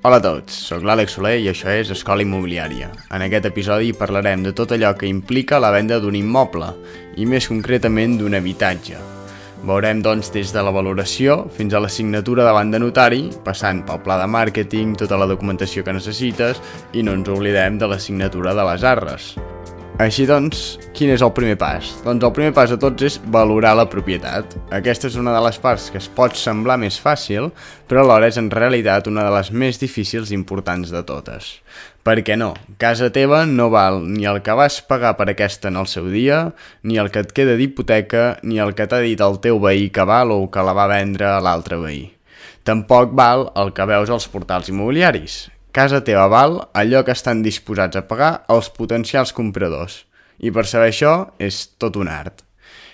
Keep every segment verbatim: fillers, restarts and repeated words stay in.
Hola a tots, sóc l'Àlex Soler i això és Escola Immobiliària. En aquest episodi parlarem de tot allò que implica la venda d'un immoble, i més concretament d'un habitatge. Veurem doncs des de la valoració fins a la signatura davant de notari, passant pel pla de màrqueting, tota la documentació que necessites i no ens oblidem de la signatura de les arres. Així doncs, quin és el primer pas? Doncs el primer pas de tots és valorar la propietat. Aquesta és una de les parts que es pot semblar més fàcil, però alhora és en realitat una de les més difícils i importants de totes. Per què no? Casa teva no val ni el que vas pagar per aquesta en el seu dia, ni el que et queda d'hipoteca, ni el que t'ha dit el teu veí que val o que la va vendre a l'altre veí. Tampoc val el que veus als portals immobiliaris. Casa teva val allò que estan disposats a pagar els potencials compradors. I per saber això és tot un art.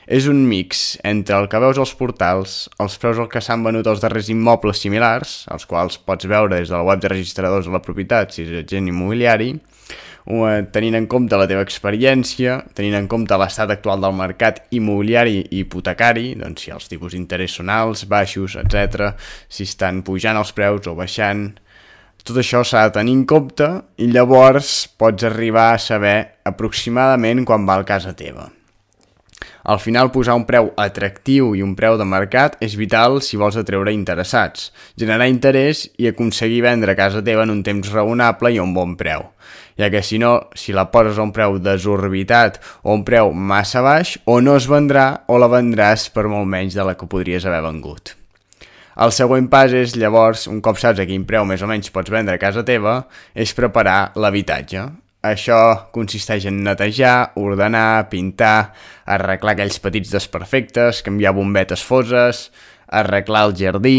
És un mix entre el que veus als portals, els preus al que s'han venut els darrers immobles similars, els quals pots veure des de la web de registradors de la propietat si ets agent immobiliari, tenint en compte la teva experiència, tenint en compte l'estat actual del mercat immobiliari i hipotecari, doncs si els tipus d'interès són alts, baixos, etcètera, si estan pujant els preus o baixant. Tot això s'ha de tenir en compte i llavors pots arribar a saber aproximadament quan val casa teva. Al final, posar un preu atractiu i un preu de mercat és vital si vols atreure interessats, generar interès i aconseguir vendre casa teva en un temps raonable i a un bon preu, ja que si no, si la poses a un preu desorbitat o un preu massa baix, o no es vendrà o la vendràs per molt menys de la que podries haver vengut. El següent pas és, llavors, un cop saps a quin preu més o menys pots vendre casa teva, és preparar l'habitatge. Això consisteix en netejar, ordenar, pintar, arreglar aquells petits desperfectes, canviar bombetes foses, arreglar el jardí.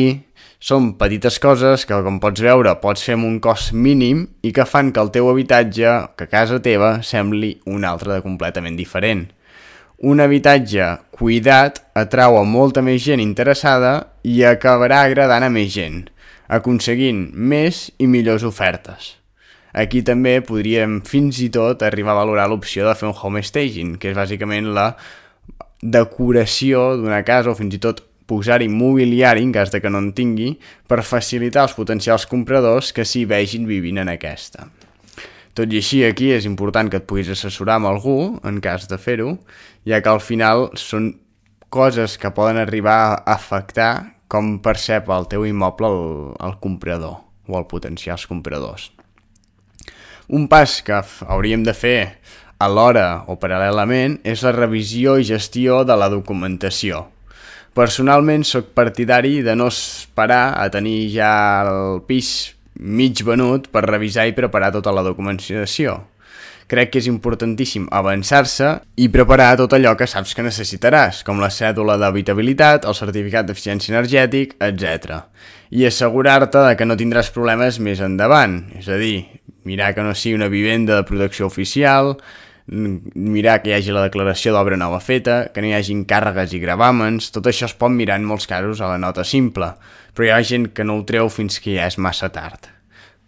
Són petites coses que, com pots veure, pots fer amb un cost mínim i que fan que el teu habitatge, que casa teva, sembli un altre de completament diferent. Un habitatge cuidat atrau a molta més gent interessada i acabarà agradant a més gent, aconseguint més i millors ofertes. Aquí també podríem fins i tot arribar a valorar l'opció de fer un home staging, que és bàsicament la decoració d'una casa o fins i tot posar-hi mobiliari en cas de que no en tingui per facilitar als potencials compradors que s'hi vegin vivint en aquesta. Tot i així, aquí és important que et puguis assessorar amb algú, en cas de fer-ho, ja que al final són coses que poden arribar a afectar com percep el teu immoble el, el comprador o els potencials compradors. Un pas que hauríem de fer alhora o paral·lelament és la revisió i gestió de la documentació. Personalment soc partidari de no esperar a tenir ja el pis mig venut per revisar i preparar tota la documentació. Crec que és importantíssim avançar-se i preparar tot allò que saps que necessitaràs, com la cèdula d'habitabilitat, el certificat d'eficiència energètic, etcètera. I assegurar-te de que no tindràs problemes més endavant, és a dir, mirar que no sigui una vivenda de protecció oficial, mirar que hi hagi la declaració d'obra nova feta, que no hi hagi càrregues i gravàmens. Tot això es pot mirar en molts casos a la nota simple, però hi ha gent que no ho treu fins que ja és massa tard.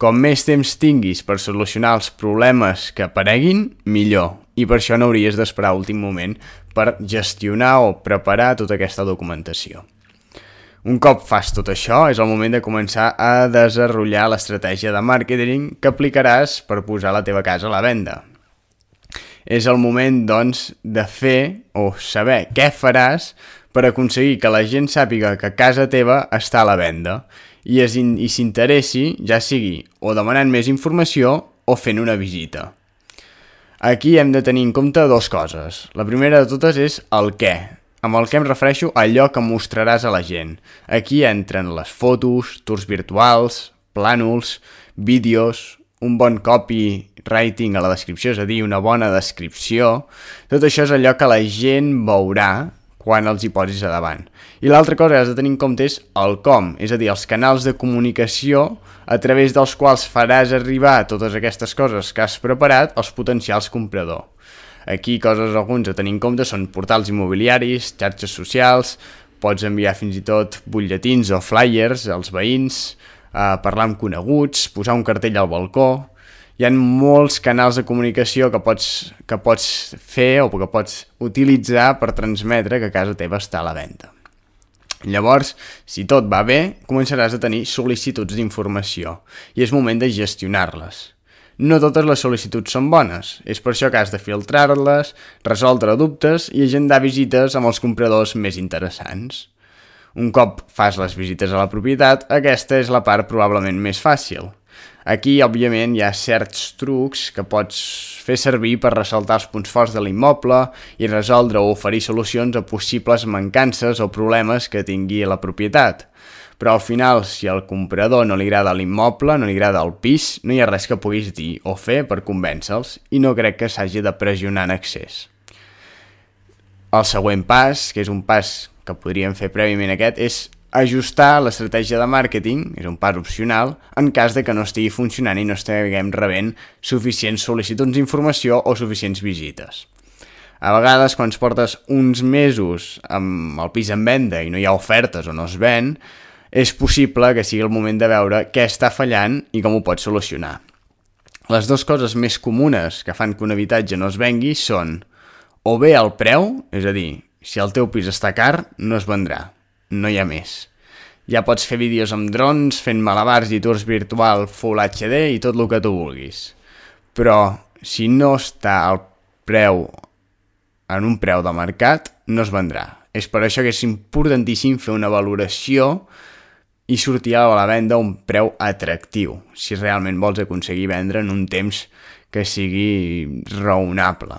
Com més temps tinguis per solucionar els problemes que apareguin, millor, i per això no hauries d'esperar a últim moment per gestionar o preparar tota aquesta documentació. Un cop fas tot això, és el moment de començar a desenvolupar l'estratègia de màrqueting que aplicaràs per posar la teva casa a la venda. És el moment, doncs, de fer o saber què faràs per aconseguir que la gent sàpiga que casa teva està a la venda i s'interessi, ja sigui o demanant més informació o fent una visita. Aquí hem de tenir en compte dues coses. La primera de totes és el què. Amb el que em refereixo a allò que mostraràs a la gent. Aquí entren les fotos, tours virtuals, plànols, vídeos, un bon copywriting a la descripció, és a dir, una bona descripció. Tot això és allò que la gent veurà quan els hi posis a davant. I l'altra cosa que has de tenir en compte és el com, és a dir, els canals de comunicació a través dels quals faràs arribar totes aquestes coses que has preparat als potencials compradors. Aquí coses alguns a tenir en compte són portals immobiliaris, xarxes socials, pots enviar fins i tot butlletins o flyers als veïns, eh, parlar amb coneguts, posar un cartell al balcó. Hi ha molts canals de comunicació que pots, que pots fer o que pots utilitzar per transmetre que casa teva està a la venda. Llavors, si tot va bé, començaràs a tenir sol·licituds d'informació i és moment de gestionar-les. No totes les sol·licituds són bones, és per això que has de filtrar-les, resoldre dubtes i agendar visites amb els compradors més interessants. Un cop fas les visites a la propietat, aquesta és la part probablement més fàcil. Aquí, òbviament, hi ha certs trucs que pots fer servir per ressaltar els punts forts de l'immoble i resoldre o oferir solucions a possibles mancances o problemes que tingui la propietat. Però al final, si al comprador no li agrada l'immoble, no li agrada el pis, no hi ha res que puguis dir o fer per convèncer-los i no crec que s'hagi de pressionar en excés. El següent pas, que és un pas que podríem fer prèviament a aquest, és ajustar l'estratègia de màrqueting, és un pas opcional, en cas de que no estigui funcionant i no estiguem rebent suficients sol·licituds d'informació o suficients visites. A vegades, quan portes uns mesos amb el pis en venda i no hi ha ofertes o no es ven, és possible que sigui el moment de veure què està fallant i com ho pots solucionar. Les dues coses més comunes que fan que un habitatge no es vengui són o bé el preu, és a dir, si el teu pis està car, no es vendrà. No hi ha més. Ja pots fer vídeos amb drons, fent malabars i tours virtual Full H D i tot el que tu vulguis. Però si no està al preu, en un preu de mercat, no es vendrà. És per això que és importantíssim fer una valoració i sortir a la venda a un preu atractiu, si realment vols aconseguir vendre en un temps que sigui raonable.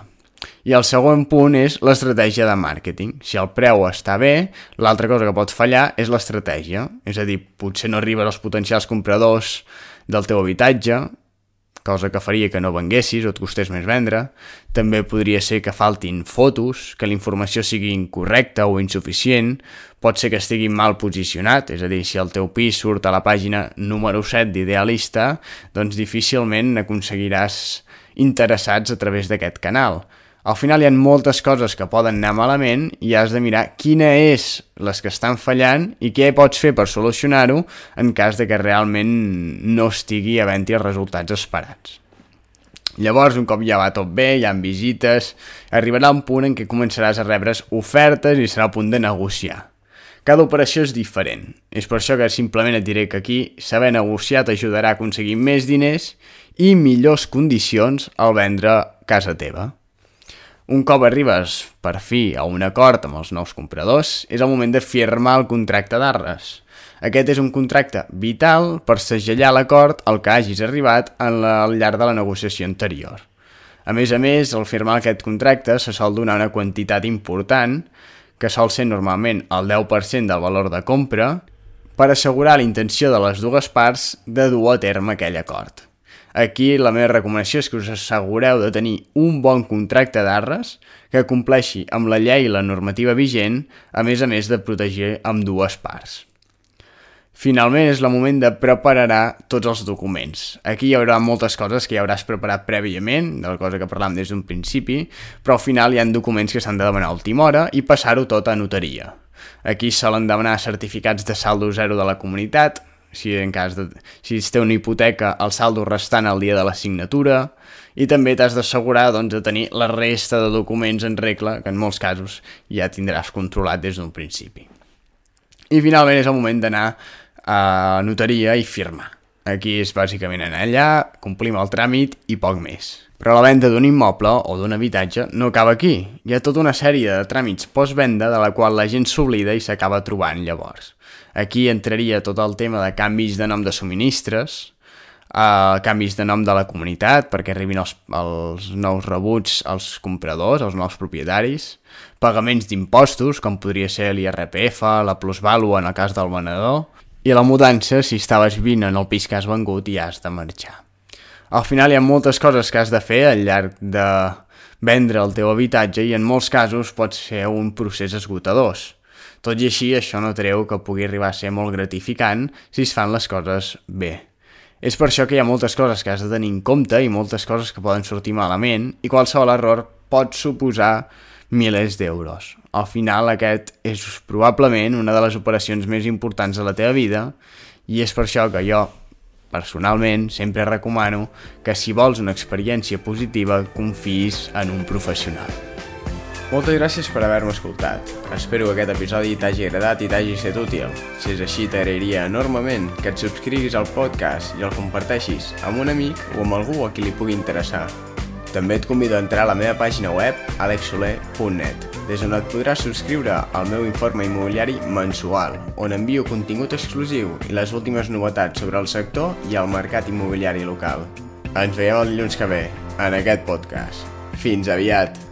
I el segon punt és l'estratègia de màrqueting. Si el preu està bé, l'altra cosa que pot fallar és l'estratègia. És a dir, potser no arribes als potencials compradors del teu habitatge, cosa que faria que no venguessis o et costés més vendre. També podria ser que faltin fotos, que la informació sigui incorrecta o insuficient. Pot ser que estigui mal posicionat, és a dir, si el teu pis surt a la pàgina número set d'Idealista, doncs difícilment aconseguiràs interessats a través d'aquest canal. Al final hi ha moltes coses que poden anar malament i has de mirar quina és les que estan fallant i què pots fer per solucionar-ho en cas de que realment no estigui havent-hi els resultats esperats. Llavors, un cop ja va tot bé, hi ha visites, arribarà un punt en què començaràs a rebre ofertes i serà el punt de negociar. Cada operació és diferent. És per això que simplement et diré que aquí saber negociar t'ajudarà a aconseguir més diners i millors condicions al vendre casa teva. Un cop arribes, per fi, a un acord amb els nous compradors, és el moment de firmar el contracte d'arres. Aquest és un contracte vital per segellar l'acord al que hagis arribat al llarg de la negociació anterior. A més a més, al firmar aquest contracte se sol donar una quantitat important, que sol ser normalment el deu per cent del valor de compra, per assegurar la intenció de les dues parts de dur a terme aquell acord. Aquí la meva recomanació és que us assegureu de tenir un bon contracte d'arres que compleixi amb la llei i la normativa vigent, a més a més de protegir amb dues parts. Finalment és el moment de preparar tots els documents. Aquí hi haurà moltes coses que ja hauràs preparat prèviament, de la cosa que parlàvem des d'un principi, però al final hi ha documents que s'han de demanar a última hora i passar-ho tot a notaria. Aquí solen demanar certificats de saldo zero de la comunitat, si en cas de, si es té una hipoteca, el saldo restant al dia de la signatura, i també t'has d'assegurar doncs, de tenir la resta de documents en regla, que en molts casos ja tindràs controlat des d'un principi. I finalment és el moment d'anar a notaria i firmar. Aquí és bàsicament anar allà, complim el tràmit i poc més. Però la venda d'un immoble o d'un habitatge no acaba aquí. Hi ha tota una sèrie de tràmits postvenda de la qual la gent s'oblida i s'acaba trobant llavors. Aquí entraria tot el tema de canvis de nom de subministres, eh, canvis de nom de la comunitat perquè arribin els, els nous rebuts als compradors, als nous propietaris, pagaments d'impostos, com podria ser l'I R P F, la plusvàlua en el cas del venedor, i la mudança si estaves vivint en el pis que has vengut i has de marxar. Al final hi ha moltes coses que has de fer al llarg de vendre el teu habitatge i en molts casos pot ser un procés esgotador. Tot i així, això no treu que pugui arribar a ser molt gratificant si es fan les coses bé. És per això que hi ha moltes coses que has de tenir en compte i moltes coses que poden sortir malament i qualsevol error pot suposar milers d'euros. Al final, aquest és probablement una de les operacions més importants de la teva vida i és per això que jo, personalment, sempre recomano que si vols una experiència positiva, confiïs en un professional. Moltes gràcies per haver-me escoltat. Espero que aquest episodi t'hagi agradat i t'hagi estat útil. Si és així, t'agrairia enormement que et subscriguis al podcast i el comparteixis amb un amic o amb algú a qui li pugui interessar. També et convido a entrar a la meva pàgina web alex soler punt net, des on et podràs subscriure al meu informe immobiliari mensual, on envio contingut exclusiu i les últimes novetats sobre el sector i el mercat immobiliari local. Ens veiem el dilluns que ve, en aquest podcast. Fins aviat!